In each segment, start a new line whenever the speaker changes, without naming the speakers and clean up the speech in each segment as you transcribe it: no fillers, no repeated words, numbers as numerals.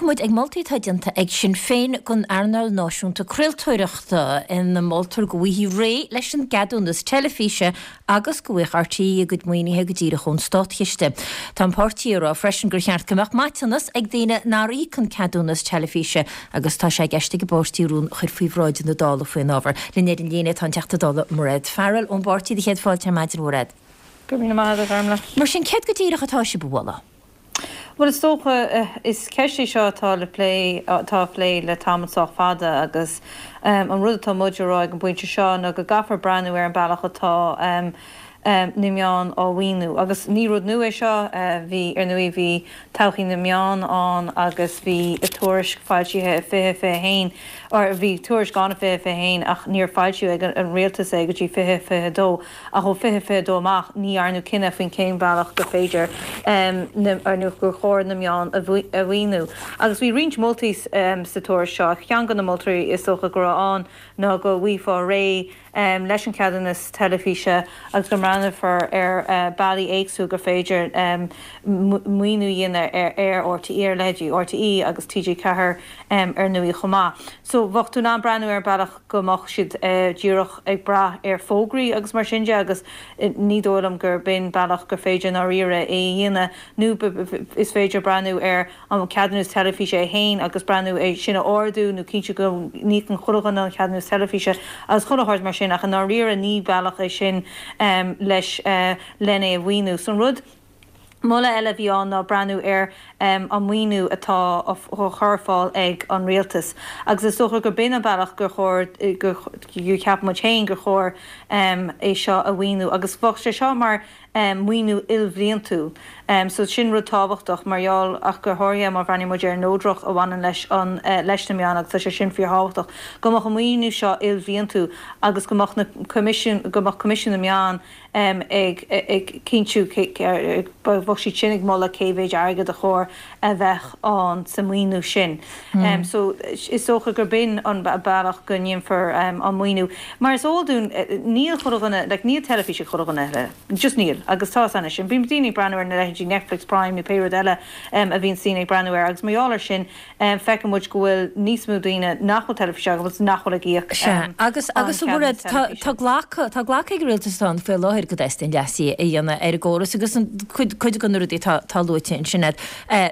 Bogfaidh muid ag moltaí atá déanta ag Sinn Féin don earnáil náisiúnta craoltóireachta, ina moltar go bhfaighfí réidh leis an gceadúnas teilifíse agus go bhfaigheadh RTÉ a gcuid maoinithe go díreach ón státchiste. Tá an páirtí ag rá freisin gur cheart go mbeadh maiteanas ag daoine nár íoc an ceadúnas teilifíse agus tá sé i gceist ag an bpáirtí rún a chur faoi bhráid na Dála faoin ábhar. Linn ar an líne tá an Teachta Dála Mairéad Farrell ón bpáirtí. Do chéad fáilte ar maidin, a Mhairéad.
Go raibh míle maith agat, a Ghormlaith.
Mar sin, céard go díreach atá sibh a mholadh?
Bhuel, is dócha, is ceist í seo atá le plé, atá á phlé le tamall sách fada agus an rud atá muid a rá ag an bpointe seo ná go gcaithfear breathnú ar an bealach atá na meáin á mhaoiniú. Agus ní rud nua é seo, bhí, ar ndóigh, bhí todhchaí na meán ann agus bhí tuairisc foilsithe i 2021, or bhí tuairisc ann i 2021 ach níor foilsíodh ag an rialtas é go dtí 2022. Ach ó 2022 amach, ní dhearnadh cinneadh faoin cén bealach gur féidir nó gur chóir na meáin a mhaoiniú. Agus bhí roinnt moltaí sa tuairisc seo. Ceann de na moltaí is dócha go raibh ann ná go bhfaighfeá réidh leis an cheadúnas teilifíse agus go mbreathnófar ar bealaí éagsúla gur féidir maoiniú a dhéanamh ar RTÉ, ar leithéidí RTÉ agus TG4 ar ndóigh chomh maith. So bheadh tú in ann breathnú ar an bealach go mbeadh siad díreach ag brath ar fógraí agus mar sin de agus ní dóigh liom gur b'in bealach gur féidir i ndáiríre é a dhéanamh nó is féidir breathnú ar an ceadúnas teilifíse é féin agus breathnú é sin a ardú nó cinntiú go n-íocann chuile dhuine an ceadúnas teilifíse agus chuile shórt mar sin ach i ndáiríre ní bealach é sin leis len é a mhaoiniú. So an rud. Moladh eile a bhí ann ná breathnú ar an maoiniú atá á chur ar fáil ag an rialtas agus is dócha gur b'in an bealach gur chóir, gur cheap muid féin gur chóir é seo a mhaoiniú agus bheadh sé seo mar mhaoiniú ilbhliantúil. So sin rud tábhachtach mar gheall ach go háirithe má bhreathnaíonn muid ar an neodracht a bhaineann leis an leis na meáin agus tá sé sin fíorthábhachtach go mbeadh an maoiniú seo ilbhliantúil agus go mbeadh na coimisiún go mbeadh Coimisiún na Meán ag cinntiú, bheadh siad sin ag moladh cé mhéid airgead a chóir a bheith ann sa maoiniú sin. So is dócha gur b'in an bealach go ndéanfar an maoiniú. Mar is eol dúinn, níl chuile dhuine, like níl teilifís ag chuile dhuine eile. Just níl. Agus tá a fhios anois. Bíonn daoine ag breathnú ar na leithéidí Netflix, Prime nó pé rud eile a bhíonns daoine ag breathnú air agus mar gheall air sin, Feiceann muid go bhfuil níos mó daoine nach bhfuil teilifís acu agus nach bhfuil ag íoc
Sea, agus, agus a Mhairéad, tá, tá glactha, tá glactha ag an rialtas atá ann faoi láthair go dteastaíonn leasuithe a dhéanamh ar an gcóras agus an, cuid, cuid de na rudaí atá, atá luaite ansin agat,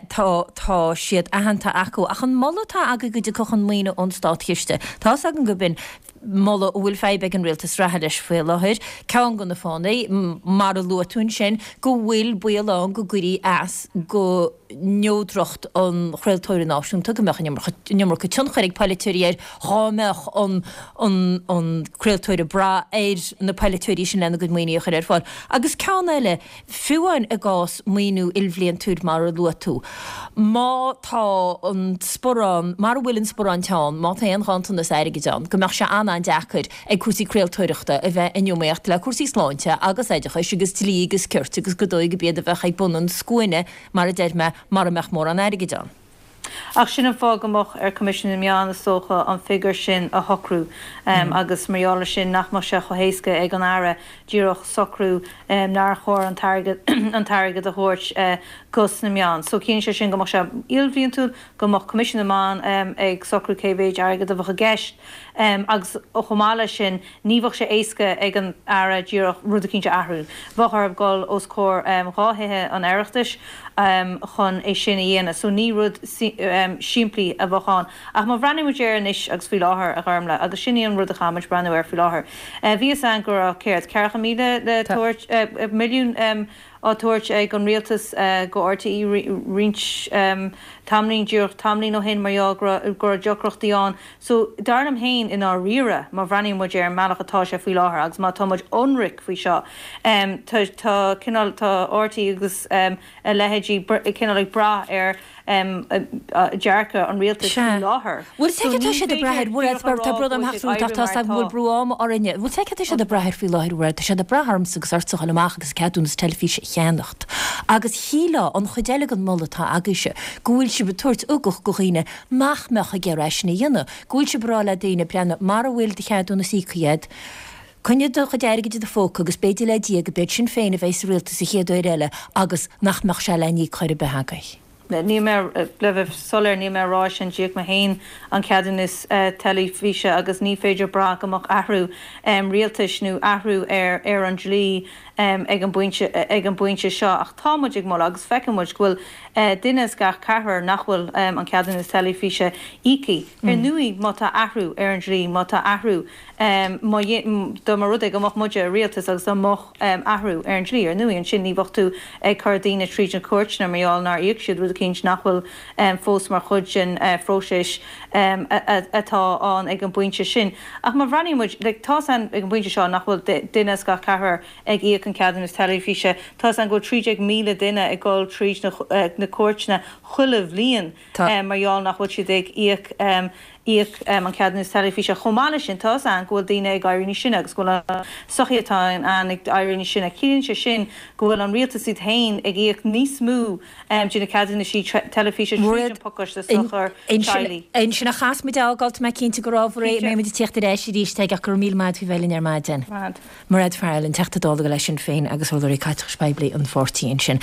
tá, tá siad aitheanta acu. Ach an moladh atá agaibh go dtiocfadh an maoiniú ón státchiste, tá 'fhios agam go b'in moladh a bhfuil fadhb ag an rialtas reatha leis faoi láthair. Ceann de na fáthanna, mar a luaigh tú ansin, go bhfuil baol ann go gcuirfí as go neodracht an chraoltóra náisiúnta, go mbeadh an iomarca tionchair ag polaiteoirí air dhá mbeadh an an craoltóir ag brath ar na polaiteoirí sin lena gcuid maoinithe a chur ar fáil. Agus ceann eile, Fiú amháin i gcás maoiniú ilbhliantúil mar a luaigh tú, má tá an sparán, mara bhfuil an sparán teann, má tá aon ghanntanas airgid ann, go mbeadh sé an-an-deacair ag cúrsaí craoltóireachta a bheith in iomaíocht le cúrsaí sláinte agus oideachais agus dlí agus cirt agus go dóigh gurb iad a bheadh ag bun an scuaine, mar a deir mé, mara mbeadh mórán airgid ann.
Ach sin an fáth go mbeadh ar Coimisiún na Meán, is dócha, an figiúr sin a shocrú agus mar gheall ar sin nach mbeadh sé chomh héasca ag an Aire díreach socrú nár chóir an t-airgead an t-airgead a thabhairt dos na meáin. So ciallaíonn sé sin go mbeadh sé ilbhliantúil, go mbeadh Coimisiún na Meán ag socrú cé mhéid airgead a bheadh i gceist agus chomh maith leis sin Ní bheadh sé éasca ag an Aire díreach rud eicínt a athrú. Bheadh orthu dul os comhair dhá thithe an Oireachtais chun é sin a dhéanamh. So ní rud simplí a bheadh ann. Ach má bhreathnaíonn muid air anois agus faoi láthair, a Ghormlaith, agus sin í an rud a chaithfidh muid breathnú air faoi láthair. Bhí fhios a'inn go raibh, céard, 40,000 le tabhairt, milliún, á tabhairt ag an rialtas go RTÉ roinnt tamaillín, díreach tamaillín ó shin mar gheall go raibh deacrachtaí ann. So, dar liom féin, i ndáiríre, má bhreathnaíonn muid ar an mbealach atá sé faoi láthair agus má tá muid ionraic faoi seo, tá, tá cineál, tá RTÉ agus a leithéidí cineál ag brath ar dearcadh an rialtais faoi láthair.
Bhfuil a fhios agat cad tá siad ag brath air, bhuel, tá brón orm theacht romhat ach tá a fhios agam go bhfuil brú ama orainne. Bhfuil a fhios agat cad tá siad ag brath air faoi láthair, bhuel, tá siad ag brath ormsa agus ortsa a dhul amach agus ceadúnas teilifíse a cheannacht. Agus shílfeá, an chuid eile den mholadh atá agaibhse, go bhfuil sibh ag tabhairt ugach go dhaoine nach mbeadh ag iarraidh é sin a dhéanamh, go bhfuil sibh ag rá le daoine, breathnaigh, mara bhfuil do cheadúnas íoctha agat, coinnigh do chuid airgid i do phóca agus b'fhéidir le Dia go b'iad Sinn Féin a bheidh sa rialtas an chéad uair eile agus nach mbeadh sé le n-íoc chor ar bith agaibh.
níl mé, le bheith soiléir, níl mé ag rá sin, d'íoc mé féin an ceadúnas teilifíse agus ní féidir brath go mbeadh athrú rialtais nó athrú ar an dlí ag an bpointe ag an bpointe seo ach tá muid ag moladh agus feiceann muid go bhfuil duine as gach ceathrar nach bhfuil an ceadúnas teilifíse íoctha. Ar ndóigh má tá athrú ar an dlí, má tá athrú má dá mba rud é go mbeadh muide i rialtas agus dá mbeadh athrú ar an dlí, ar ndóigh ansin ní bheadh tú ag cur daoine tríd na cúirteanna mar gheall nár íoc siad, rud eicínt nach bhfuil fós mar chuid den phróiseas atá ann ag an bpointe sin. Ach má bhreathnaíonn muid, like, tá's a'inn ag an bpointe seo nach bhfuil duine as gach ceathrar ag íoc an ceadúnas teilifíse, tá's a'inn go bhfuil 13,000 duine ag dul tríd na cúirteanna chuile bhliain mar gheall nach bhfuil siad ag íoc íoc an ceadúnas teilifíse. Chomh maith leis sin, tá's a'inn go bhfuil daoine ag éirí níos sine agus go bhfuil an sochaí atá ann ag éirí níos sine. Ciallaíonn sé sin go bhfuil an rialtas iad féin ag íoc níos mó de na ceadúnaisí teilifíse tríd an pacáiste sochar teaghlaigh.
Ansin a chas muid a fhágáil, tá mé cinnte gur ábhar é a mbeidh muid ag tíocht ar ais arís ag ach go raibh míle maith agat faoi bheith linn ar maidin. Mairéad Farrell, an Teachta Dála le Sinn Féin agus Urlabhraí Caiteachais Poiblí an pháirtí ansin.